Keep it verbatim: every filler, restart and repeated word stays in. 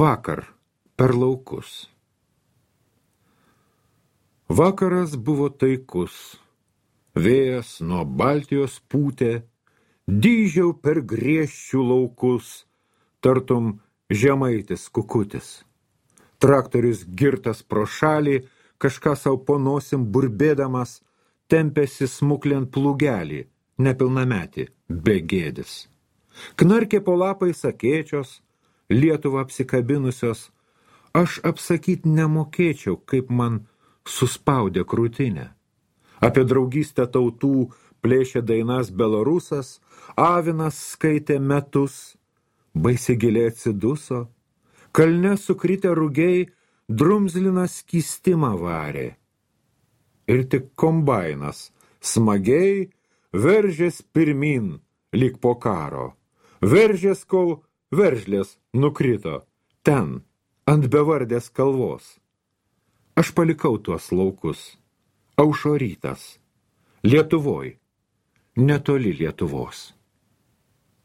Vakar per laukus. Vakaras buvo taikus, vėjas nuo Baltijos pūtė, dyžiau per griežčių laukus, tartum žemaitis kukutis. Traktorius girtas pro šalį, kažką sau po nosim burbėdamas, tempėsi smuklėn plugelį, nepilnametį, begėdis. Knarkė po lapais akėčios, Lietuvą apsikabinusios, aš apsakyt nemokėčiau, kaip man suspaudė krūtinę. Apie draugystę tautų plėšė dainas Belarusas, avinas skaitė metus, baisiai giliai atsiduso, kalne sukritę rugiai drumzlinas skystimą varė. Ir tik kombainas smagiai veržės pirmin, lyg po karo. Veržės, kol veržlės nukrito, ten, ant bevardės kalvos. Aš palikau tuos laukus, aušo rytas, Lietuvoj, netoli Lietuvos.